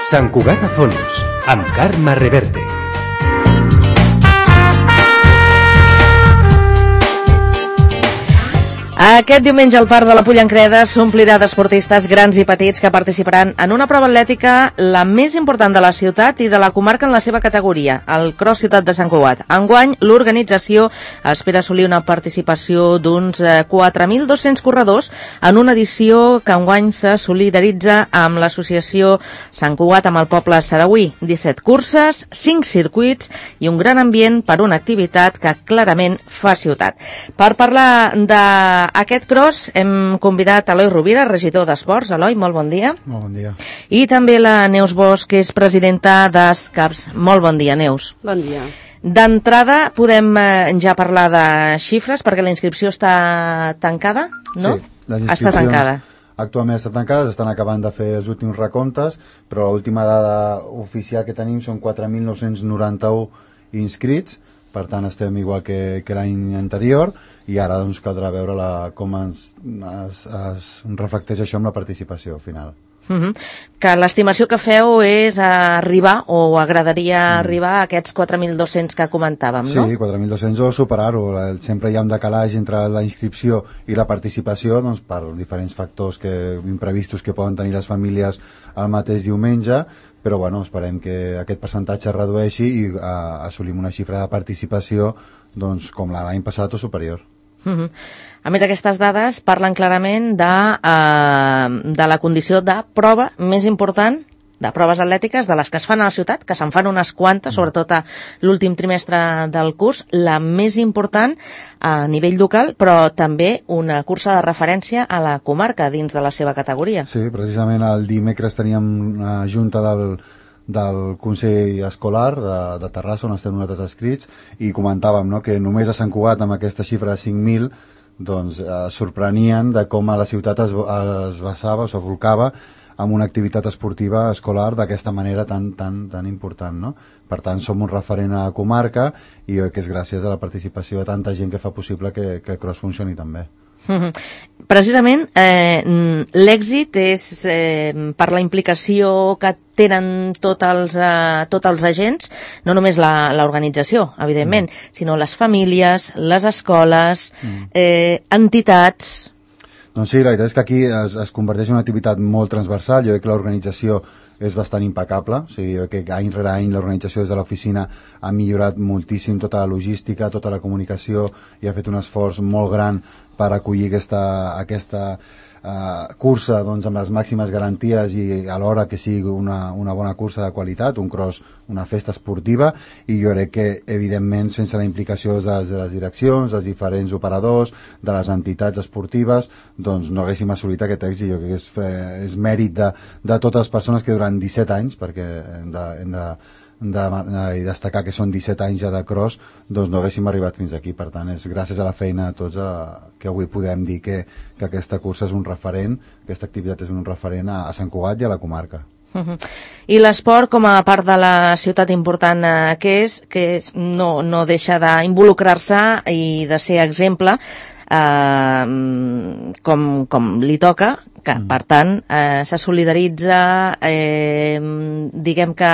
Sant Cugat a fons, amb Carme Reverte. Aquest diumenge el Parc de la Pollancreda s'omplirà d'esportistes grans i petits que participaran en una prova atlètica la més important de la ciutat i de la comarca en la seva categoria, el Cross Ciutat de Sant Cugat. Enguany, l'organització espera assolir una participació d'uns 4.200 corredors en una edició que enguany se solidaritza amb l'associació Sant Cugat amb el poble saragüí. 17 curses, 5 circuits i un gran ambient per una activitat que clarament fa ciutat. Per parlar d'aquest cross hem convidat Eloi Rovira, regidor d'Esports. Eloi, molt bon dia. Molt bon dia. I també la Neus Bosch, que és presidenta d'Escaps. Molt bon dia, Neus. Bon dia. D'entrada podem ja parlar de xifres perquè la inscripció està tancada, no? Sí, les inscripcions està tancada. Actualment estan tancades, estan acabant de fer els últims recomptes, però l'última dada oficial que tenim són 4.991 inscrits, per tant estem igual que l'any anterior, i ara doncs caldrà veure com es reflecteix això amb la participació final. Que l'estimació que feu és arribar, o agradaria arribar a aquests 4.200 que comentàvem, no? Sí, 4.200 o superar-ho. Sempre hi ha un decalatge entre la inscripció i la participació, doncs, per diferents factors imprevistos que poden tenir les famílies el mateix diumenge, però bueno, esperem que aquest percentatge es redueixi i assolim una xifra de participació doncs, com l'any passat o superior. A més, aquestes dades parlen clarament de la condició de prova més important, de proves atlètiques, de les que es fan a la ciutat, que se'n fan unes quantes, sobretot a l'últim trimestre del curs, la més important a nivell local, però també una cursa de referència a la comarca dins de la seva categoria. Sí, precisament el dimecres teníem una junta del Consell Escolar de Terrassa, on estem nosaltres escrits, i comentàvem, no?, que només a Sant Cugat, amb aquesta xifra de 5.000, doncs sorprenien de com a la ciutat es basava o s'abolcava amb una activitat esportiva escolar d'aquesta manera tan important, no? Per tant, som un referent a la comarca i que és gràcies a la participació de tanta gent que fa possible que el cross funcioni també. Precisament l'èxit és per la implicació que tenen tots els agents, no només l'organització, evidentment, sinó les famílies, les escoles, entitats. Doncs sí, la veritat és que aquí es converteix en una activitat molt transversal. Jo crec que l'organització és bastant impecable, o sigui, jo crec que any rere any l'organització des de l'oficina ha millorat moltíssim tota la logística, tota la comunicació, i ha fet un esforç molt gran per acollir aquesta cursa doncs, amb les màximes garanties i alhora que sigui una bona cursa de qualitat, un cross, una festa esportiva, i jo crec que evidentment sense la implicació de les direccions, dels diferents operadors, de les entitats esportives, doncs no haguéssim assolit aquest èxit. Jo crec que és mèrit de totes les persones que durant 17 anys, perquè hem de destacar que són 17 anys ja de cross, doncs no haguéssim arribat fins aquí. Per tant, és gràcies a la feina de tots que avui podem dir que aquesta cursa és un referent, aquesta activitat és un referent a Sant Cugat i a la comarca. I l'esport, com a part de la ciutat important que és no deixa d'involucrar-se i de ser exemple com li toca, que per tant se solidaritza, diguem que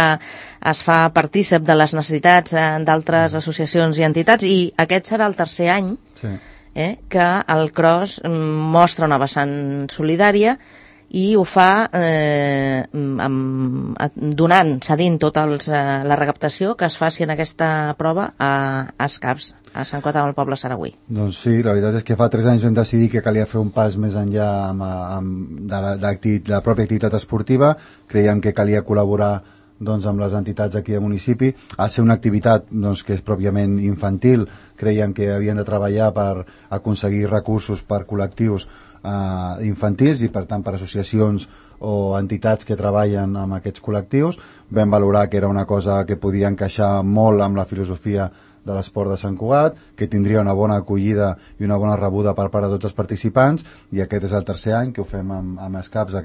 es fa partícip de les necessitats d'altres associacions i entitats, i aquest serà el tercer any que el cross mostra una vessant solidària i ho fa cedint tota la recaptació que es faci en aquesta prova a Escaps, a Sant Cugat amb el poble saragüí. Doncs sí, la veritat és que fa 3 anys vam decidir que calia fer un pas més enllà de la pròpia activitat esportiva. Creiem que calia col·laborar doncs, amb les entitats d'aquí del municipi. Ha de ser una activitat doncs, que és pròpiament infantil. Creiem que havien de treballar per aconseguir recursos per col·lectius infantils i per tant per associacions o entitats que treballen amb aquests col·lectius. Vam valorar que era una cosa que podia encaixar molt amb la filosofia de l'esport de Sant Cugat, que tindria una bona acollida i una bona rebuda per part de tots els participants, i aquest és el tercer any que ho fem amb Escaps en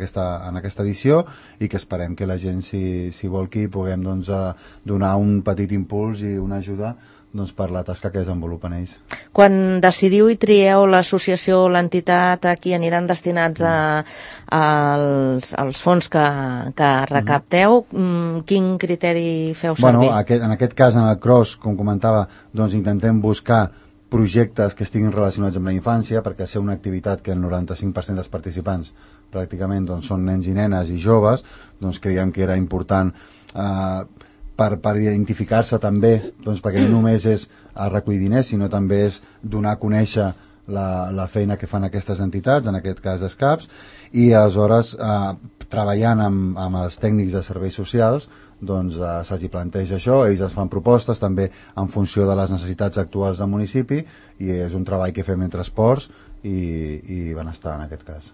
aquesta edició, i que esperem que la gent s'hi volqui i puguem doncs, donar un petit impuls i una ajuda doncs, per la tasca que desenvolupen ells. Quan decidiu i trieu l'associació o l'entitat a qui aniran destinats als fons que recapteu, quin criteri feu servir? En aquest cas, en el cross, com comentava, doncs intentem buscar projectes que estiguin relacionats amb la infància, perquè ser una activitat que el 95% dels participants pràcticament doncs, són nens i nenes i joves, doncs creiem que era important per identificar-se també, doncs, perquè no només és recollir diners, sinó també és donar a conèixer la feina que fan aquestes entitats, en aquest cas Escaps, i aleshores treballant amb els tècnics de serveis socials doncs se'ls planteja això, ells es fan propostes també en funció de les necessitats actuals del municipi, i és un treball que fem entre esports i benestar en aquest cas.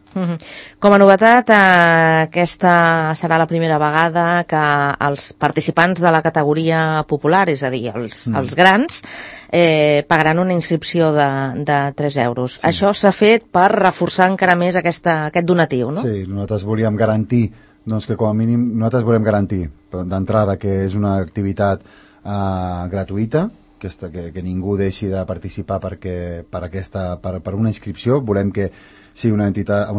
Com a novetat, aquesta serà la primera vegada que els participants de la categoria popular, és a dir, els grans, pagaran una inscripció de 3 euros. Sí. Això s'ha fet per reforçar encara més aquest donatiu, no? Sí, nosaltres volíem garantir, doncs que com a mínim nosaltres volem garantir d'entrada que és una activitat gratuïta, que ningú deixi de participar per una inscripció. Volem que sigui una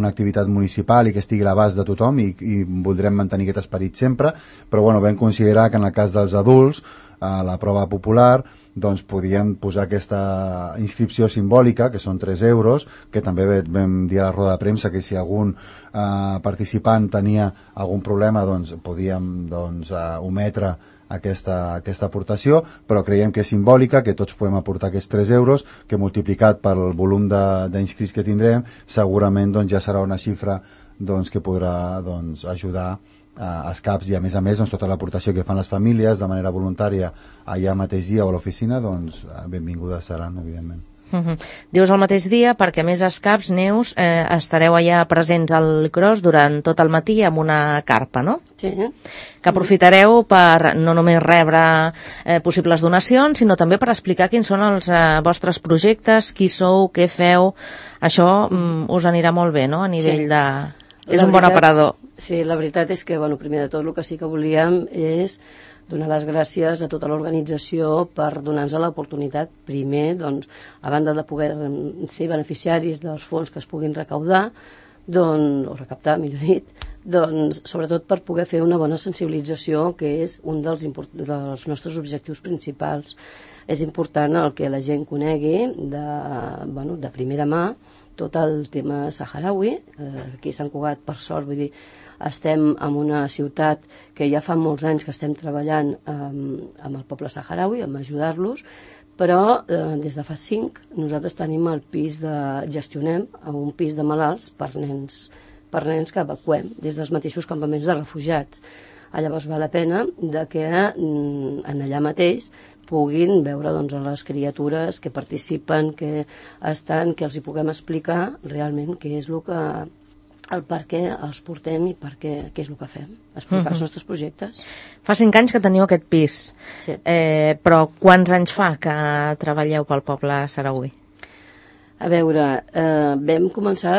activitat municipal i que estigui a l'abast de tothom, i voldrem mantenir aquest esperit sempre, però vam considerar que en el cas dels adults, a la prova popular, doncs podíem posar aquesta inscripció simbòlica, que són 3 euros, que també vam dir a la roda de premsa que si algun participant tenia algun problema, doncs podíem ometre aquesta aportació, però creiem que és simbòlica, que tots podem aportar aquests 3 euros, que multiplicat pel volum d'inscrits que tindrem, segurament ja serà una xifra que podrà ajudar a Escaps, i a més tota l'aportació que fan les famílies de manera voluntària allà mateix dia o a l'oficina, benvingudes seran, evidentment. Dius el mateix dia perquè a més Escaps, Neus, estareu allà presents al cross durant tot el matí amb una carpa, no? Sí. Que aprofitareu per no només rebre possibles donacions, sinó també per explicar quins són els vostres projectes, qui sou, què feu. Això us anirà molt bé, no?, a nivell de... És un bon aparador. Sí, la veritat és que, primer de tot, el que sí que volíem és donar les gràcies a tota l'organització per donar-nos l'oportunitat, primer, a banda de poder ser beneficiaris dels fons que es puguin recaudar, o recaptar, millor dit, sobretot per poder fer una bona sensibilització, que és un dels nostres objectius principals. És important el que la gent conegui de primera mà tot el tema saharaui. Aquí a Sant Cugat, per sort, vull dir, estem en una ciutat que ja fa molts anys que estem treballant amb el poble saharaui, amb ajudar-los, però des de fa 5 nosaltres tenim el pis gestionem un pis de malalts per nens que evacuem des dels mateixos campaments de refugiats. Llavors val la pena que en allà mateix puguin veure les criatures que participen, que estan, que els hi puguem explicar realment què és el per què els portem i què és el que fem, explicar els nostres projectes. Fa 5 anys que teniu aquest pis, sí. Però quants anys fa que treballeu pel poble saharaui? A veure, vam començar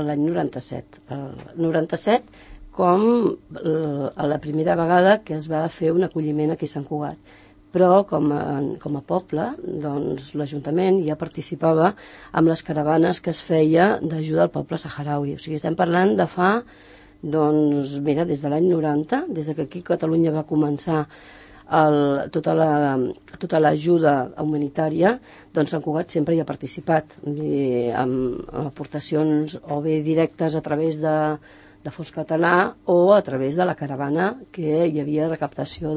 l'any 97. El 97 com la primera vegada que es va fer un acolliment aquí a Sant Cugat. Però com a poble, l'Ajuntament ja participava amb les caravanes que es feia d'ajuda al poble saharaui. O sigui, estem parlant de fa, des de l'any 90, des que aquí a Catalunya va començar tota l'ajuda humanitària, Sant Cugat sempre hi ha participat, amb aportacions o bé directes a través de fons català o a través de la caravana, que hi havia recaptació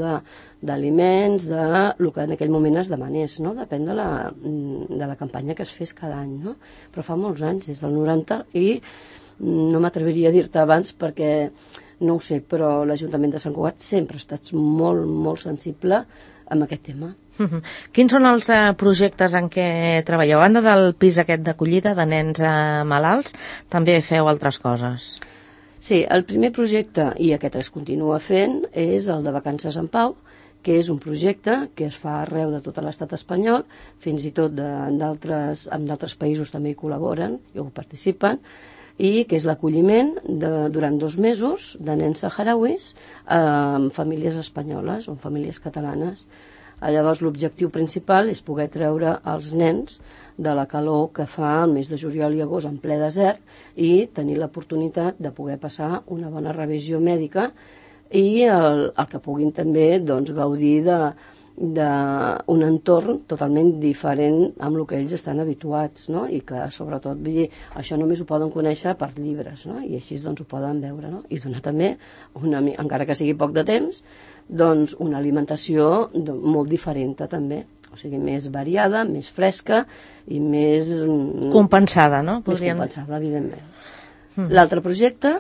d'aliments, del que en aquell moment es demanés, no? Depèn de la campanya que es fes cada any, no? Però fa molts anys, des del 90, i no m'atreviria a dir-te abans perquè no ho sé, però l'Ajuntament de Sant Cugat sempre ha estat molt, molt sensible amb aquest tema. Quins són els projectes en què treballeu? A banda del pis aquest d'acollida de nens malalts, també feu altres coses? Sí, el primer projecte, i aquest es continua fent, és el de Vacances en Pau, que és un projecte que es fa arreu de tot l'estat espanyol, fins i tot amb d'altres països també hi col·laboren i ho participen, i que és l'acolliment durant 2 mesos de nens saharauis en famílies espanyoles o en famílies catalanes. Llavors l'objectiu principal és poder treure els nens de la calor que fa el mes de juliol i agost en ple desert i tenir l'oportunitat de poder passar una bona revisió mèdica i el que puguin també gaudir d'un entorn totalment diferent amb el que ells estan habituats, no? I que sobretot això només ho poden conèixer per llibres, no? I així ho poden veure, no? I donar també, encara que sigui poc de temps, una alimentació molt diferent també, o sigui, més variada, més fresca i més... compensada, no? Més compensada, evidentment. L'altre projecte,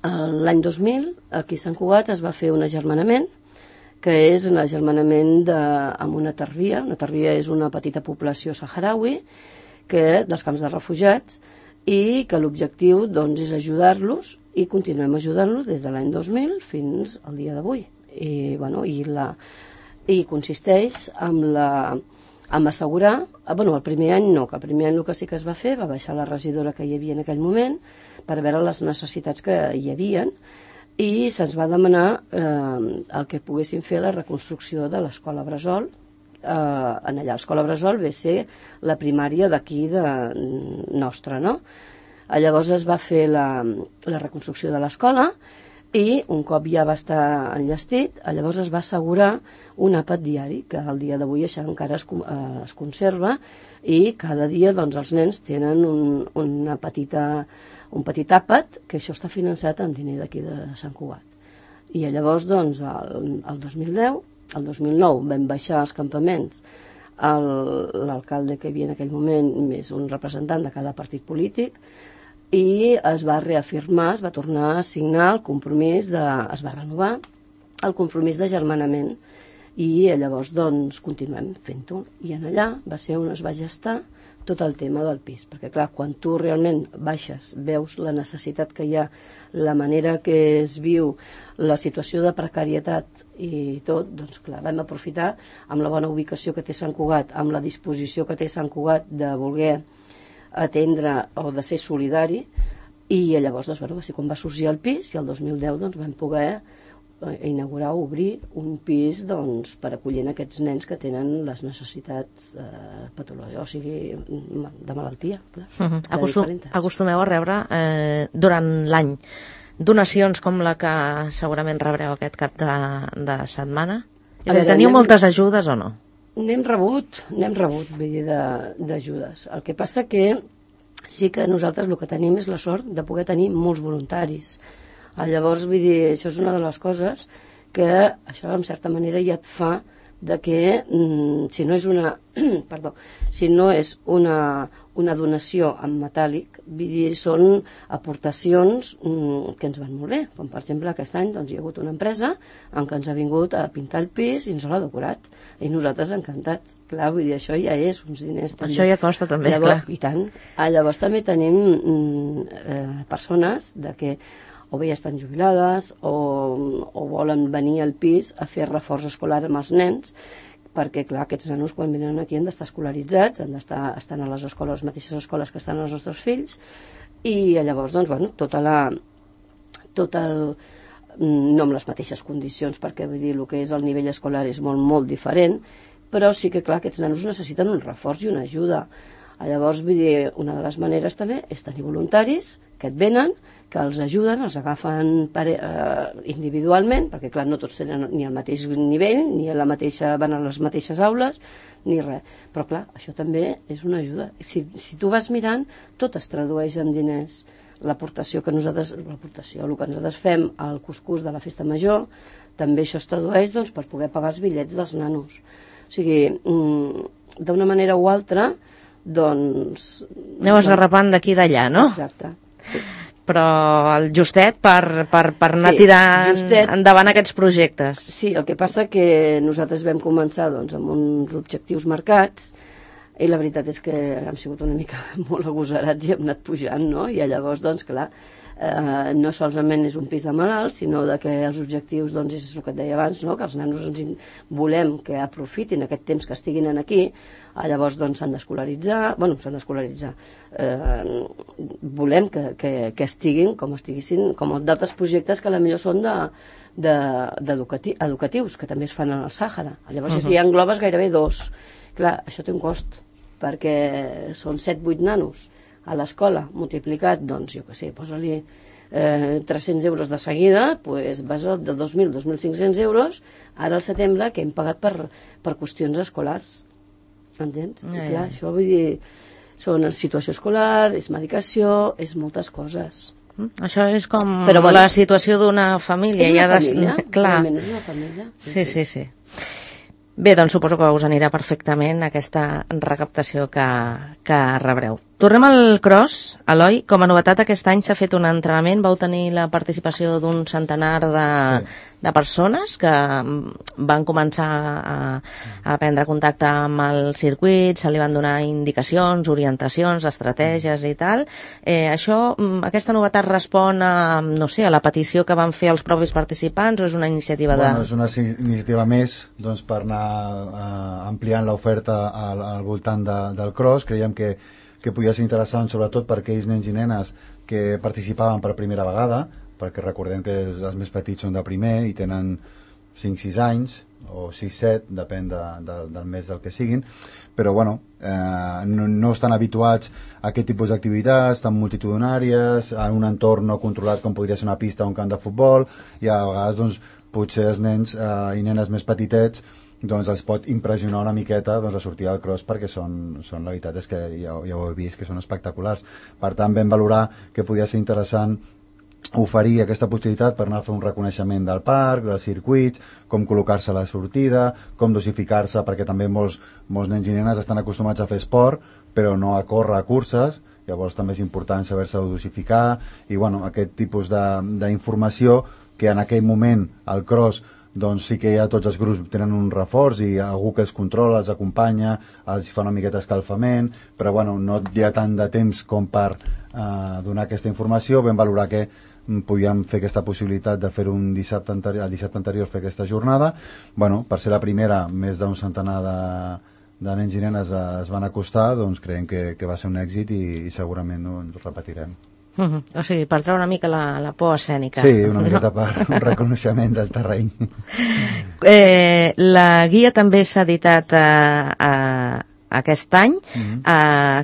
l'any 2000, aquí a Sant Cugat es va fer un agermanament, que és l'agermanament amb una tarbia. Una tarbia és una petita població saharaui dels camps de refugiats i que l'objectiu és ajudar-los i continuem ajudant-los des de l'any 2000 fins al dia d'avui. I consisteix en assegurar... el primer any no, que el primer any el que sí que es va fer, va baixar la regidora que hi havia en aquell moment per veure les necessitats que hi havien i se'ns va demanar el que poguessin fer la reconstrucció de l'escola Bressol. En allà l'escola Bressol ve ser la primària d'aquí nostra, no? Llavors es va fer la reconstrucció de l'escola i un cop ja va estar enllestit, llavors es va assegurar un àpat diari, que al dia d'avui això encara es conserva i cada dia els nens tenen un petit àpat, que això està finançat amb diner d'aquí de Sant Cugat. I llavors, el 2010, el 2009 vam baixar als campaments l'alcalde que hi havia en aquell moment més un representant de cada partit polític i es va reafirmar, es va tornar a signar el compromís es va renovar el compromís d'agermanament i llavors continuem fent-ho i en allà va ser on es va gestar tot el tema del pis, perquè clar, quan tu realment baixes, veus la necessitat que hi ha, la manera que es viu, la situació de precarietat i tot, clar, vam aprofitar amb la bona ubicació que té Sant Cugat, amb la disposició que té Sant Cugat de voler atendre o de ser solidari i llavors va ser quan va sorgir el pis i el 2010 vam poder inaugurar o obrir un pis per acollir aquests nens que tenen les necessitats patològiques, o sigui, de malaltia. Acostumeu a rebre durant l'any donacions com la que segurament rebreu aquest cap de setmana? Teniu moltes ajudes o no? N'hem rebut, vull dir, d'ajudes. El que passa que sí que nosaltres el que tenim és la sort de poder tenir molts voluntaris. Llavors, vull dir, això és una de les coses que això, en certa manera, ja et fa de que si no és una donació en metàl·lic, vull dir, són aportacions que ens van molt bé. Com, per exemple, aquest any hi ha hagut una empresa en què ens ha vingut a pintar el pis i ens l'ha decorat. I nosaltres encantats. Clar, vull dir, això ja és uns diners també. Això ja costa també, llavors, clar. I tant. Llavors també tenim persones que o bé ja estan jubilades o volen venir al pis a fer reforç escolar amb els nens, perquè clar, aquests nanos quan venen aquí han d'estar escolaritzats, estan a les mateixes escoles que estan els nostres fills, i llavors, no amb les mateixes condicions, perquè vull dir, el que és el nivell escolar és molt, molt diferent, però sí que clar, aquests nanos necessiten un reforç i una ajuda. Llavors, vull dir, una de les maneres també és tenir voluntaris que et venen, que els ajuden, els agafen individualment, perquè clar, no tots tenen ni el mateix nivell, ni van a les mateixes aules, ni res. Però clar, això també és una ajuda. Si tu vas mirant, tot es tradueix en diners. L'aportació que nosaltres fem al cuscús de la festa major, també això es tradueix per poder pagar els bitllets dels nanos. O sigui, d'una manera o altra, aneu esgarrapant d'aquí i d'allà, no? Exacte, sí. Però el justet per anar tirant endavant aquests projectes. Sí, el que passa que nosaltres vam començar amb uns objectius marcats i la veritat és que hem sigut una mica molt agosarats i hem anat pujant, no? I llavors, clar, no solament és un pis de malalts, sinó de que els objectius, doncs, és el que et deia abans, no? Que els nanos volem que aprofitin aquest temps que estiguin aquí, llavors doncs s'han d'escolaritzar, volem que estiguin com estiguessin, com d'altres projectes que potser són educatius, que també es fan al Sàhara. Llavors ja englobes gairebé 2. Clar, això té un cost, perquè són 7-8 nanos a l'escola, multiplicat, doncs, jo què sé, posa-li 300 euros de seguida, doncs vas de 2.000, 2.500 euros, ara al setembre, que hem pagat per qüestions escolars. Entens? I clar, això vull dir, són situació escolar, és medicació, és moltes coses. Això és com la situació d'una família. És una família, realment és una família. Sí. Bé, doncs suposo que us anirà perfectament aquesta recaptació que rebreu. Tornem al cross. Eloi, com a novetat aquest any s'ha fet un entrenament, vau tenir la participació d'un centenar de persones que van començar a prendre contacte amb el circuit, se li van donar indicacions, orientacions, estratègies i tal. Aquesta novetat respon a la petició que van fer els propis participants o és una iniciativa és una iniciativa més per anar ampliant l'oferta al voltant del cross. Creiem que podia ser interessant sobretot per aquells nens i nenes que participaven per primera vegada, perquè recordem que els més petits són de primer i tenen 5-6 anys o 6-7, depèn del mes del que siguin, però no estan habituats a aquest tipus d'activitats tan multitudinàries, en un entorn no controlat com podria ser una pista o un camp de futbol, i a vegades potser els nens i nenes més petitets els pot impressionar una miqueta a sortir al cross, perquè la veritat és que ja ho heu vist, que són espectaculars. Per tant, vam valorar que podia ser interessant oferir aquesta possibilitat per anar a fer un reconeixement del parc, dels circuits, com col·locar-se a la sortida, com dosificar-se, perquè també molts nens i nenes estan acostumats a fer esport, però no a córrer a curses, llavors també és important saber-se dosificar, i aquest tipus d'informació que en aquell moment al cross sí que ja tots els grups tenen un reforç i algú que els controla, els acompanya, els fa una miqueta escalfament, però no hi ha tant de temps com per donar aquesta informació. Vam valorar que podíem fer aquesta possibilitat de fer-ho el dissabte anterior, fer aquesta jornada. Per ser la primera, més d'un centenar de nens i nenes es van acostar, creiem que va ser un èxit i segurament ho repetirem. O sigui, per treure una mica la por escènica. Sí, una miqueta per un reconeixement del terreny. La guia també s'ha editat aquest any,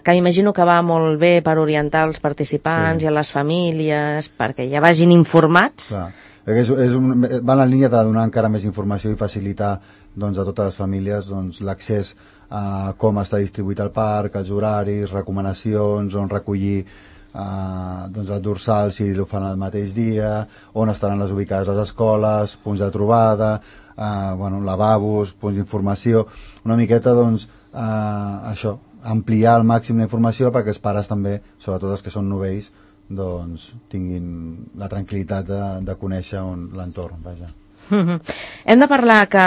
que imagino que va molt bé per orientar els participants i a les famílies, perquè ja vagin informats. Clar. Va en la línia de donar encara més informació i facilitar a totes les famílies l'accés a com està distribuït el parc, els horaris, recomanacions, on recollir el dorsal si ho fan el mateix dia, on estaran les ubicades les escoles, punts de trobada, lavabos, punts d'informació, una miqueta això, ampliar al màxim la informació perquè els pares també, sobretot els que són novells, tinguin la tranquil·litat de conèixer l'entorn, vaja. Hem de parlar que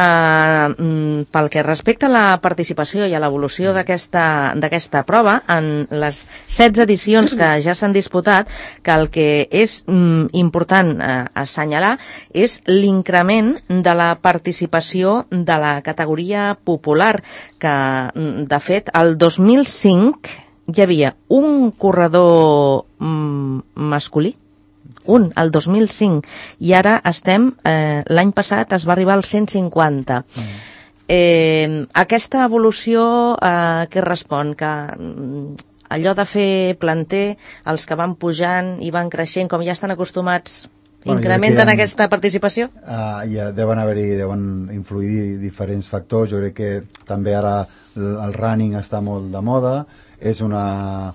pel que respecta a la participació i a l'evolució d'aquesta prova, en les 16 edicions que ja s'han disputat, que el que és important assenyalar és l'increment de la participació de la categoria popular, que de fet el 2005 hi havia un corredor masculí, el 2005, i ara l'any passat es va arribar al 150. Aquesta evolució què respon? Que allò de fer planter, els que van pujant i van creixent, com ja estan acostumats, incrementen aquesta participació? Ja deuen influir diferents factors. Jo crec que també ara el running està molt de moda, és una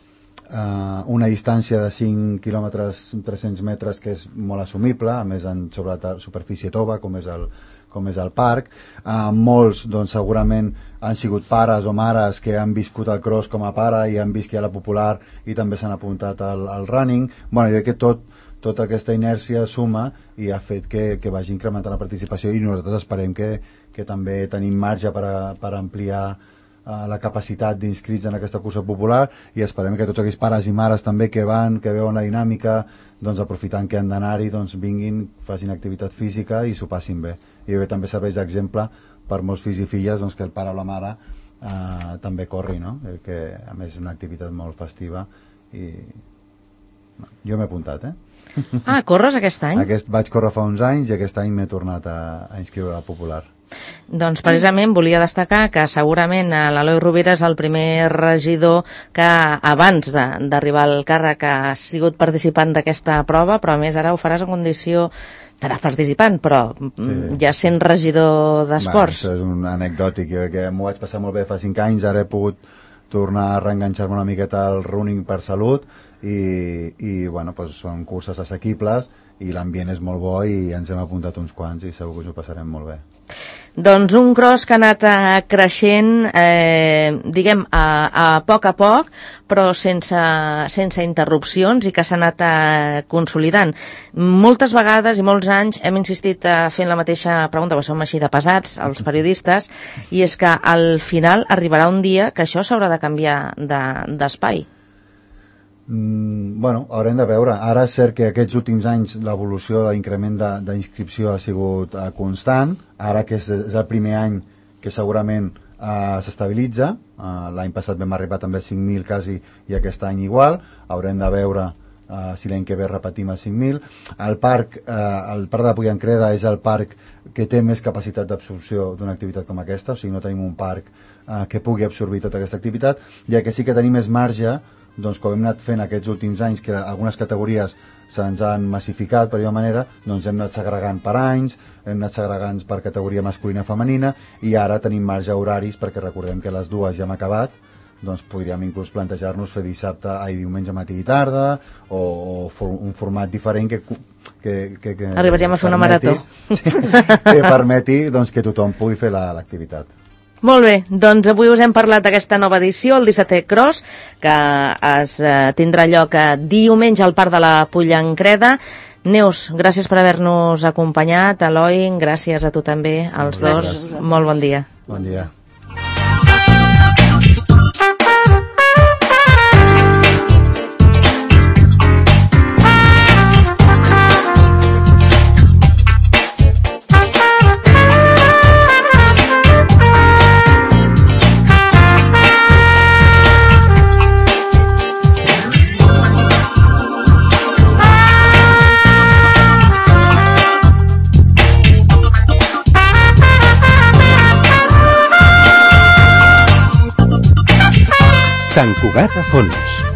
distància de 5 quilòmetres, 300 metres, que és molt assumible, a més sobre la superfície tova, com és el parc. Molts segurament han sigut pares o mares que han viscut el cross com a pare i han vist que hi ha la popular i també s'han apuntat al running. Jo crec que tota aquesta inèrcia suma i ha fet que vagi incrementant la participació, i nosaltres esperem que també tenim marge per ampliar la capacitat d'inscrits en aquesta cursa popular, i esperem que tots aquells pares i mares també que van, que veuen la dinàmica, doncs aprofitant que han d'anar-hi, doncs vinguin, facin activitat física i s'ho passin bé. I també serveix d'exemple per molts fills i filles, doncs, que el pare o la mare també corri, no? Que a més és una activitat molt festiva i jo m'he apuntat, Corres aquest any? Vaig córrer fa uns anys i aquest any m'he tornat a inscriure a la popular. Doncs precisament volia destacar que segurament l'Eloi Rovira és el primer regidor que abans d'arribar al càrrec ha sigut participant d'aquesta prova, però a més ara ho faràs en condició, estaràs participant, però ja sent regidor d'esports. Això és un anecdòtic, jo que m'ho vaig passar molt bé fa 5 anys, ara he pogut tornar a reenganxar-me una miqueta al running per salut i bueno, doncs són curses assequibles i l'ambient és molt bo i ens hem apuntat uns quants i segur que us ho passarem molt bé. Doncs un cross que ha anat creixent, diguem, a poc, però sense interrupcions i que s'ha anat consolidant. Moltes vegades i molts anys hem insistit fent la mateixa pregunta, perquè som així de pesats, els periodistes, i és que al final arribarà un dia que això s'haurà de canviar d'espai. Bueno, haurem de veure. Ara és cert que aquests últims anys l'evolució d'increment d'inscripció ha sigut constant. Ara que és el primer any que segurament s'estabilitza. L'any passat vam arribar també a 5.000 quasi i aquest any igual. Haurem de veure si l'any que ve repetim a 5.000. El parc de la Puillancreda és el parc que té més capacitat d'absorció d'una activitat com aquesta, o sigui, no tenim un parc que pugui absorbir tota aquesta activitat, ja que sí que tenim més marge, doncs com hem anat fent aquests últims anys que algunes categories se'ns han massificat per alguna manera, doncs hem anat segregant per anys, hem anat segregant per categoria masculina i femenina i ara tenim marge horaris perquè recordem que les dues ja hem acabat, doncs podríem inclús plantejar-nos fer diumenge matí i tarda o un format diferent que arribaríem a fer una marató que permeti doncs, que tothom pugui fer l'activitat. Molt bé, doncs avui us hem parlat d'aquesta nova edició, el 17è Cross, que es tindrà lloc diumenge al Parc de la Puillancreda. Neus, gràcies per haver-nos acompanyat. Eloi, gràcies a tu també, als dos. Molt bon dia. Bon dia. Sant Cugat a Fons.